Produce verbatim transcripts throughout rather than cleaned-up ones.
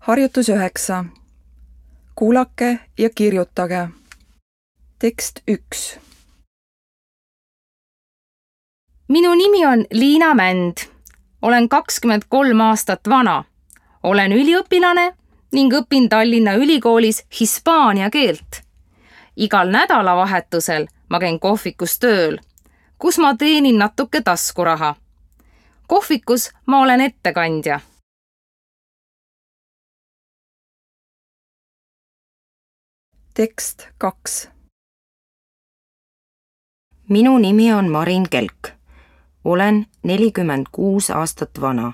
Harjutus üheksa. Kuulake ja kirjutage. Tekst üks. Minu nimi on Liina Mänd. Olen kakskümmend kolm aastat vana. Olen üliõpilane ning õpin Tallinna Ülikoolis hispaania keelt. Igal nädalavahetusel ma käin kohvikus tööl, kus ma teenin natuke taskuraha. Kohvikus ma olen ettekandja. Tekst kaks. Minu nimi on Marin Kelk. Olen nelikümmend kuus aastat vana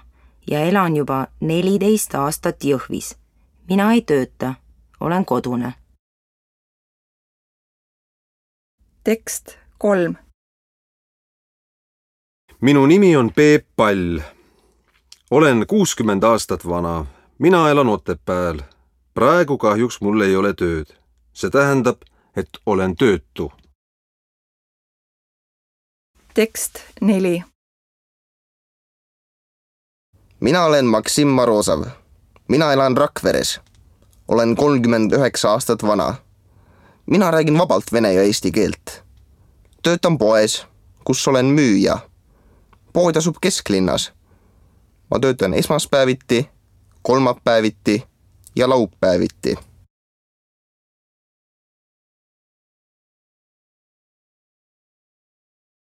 ja elan juba neliteist aastat Jõhvis. Mina ei tööta, olen kodune. Tekst kolm. Minu nimi on Peep Pall. Olen kuuskümmend aastat vana. Mina elan Otepääl. Praegu kahjuks mul ei ole tööd. See tähendab, et olen töötu. Tekst neli. Mina olen Maksim Marozov. Mina elan Rakveres. Olen kolmkümmend üheksa aastat vana. Mina räägin vabalt vene ja eesti keelt. Töötan poes, kus olen müüja. Pood asub kesklinnas. Ma töötan esmaspäeviti, kolmapäeviti ja laupäeviti.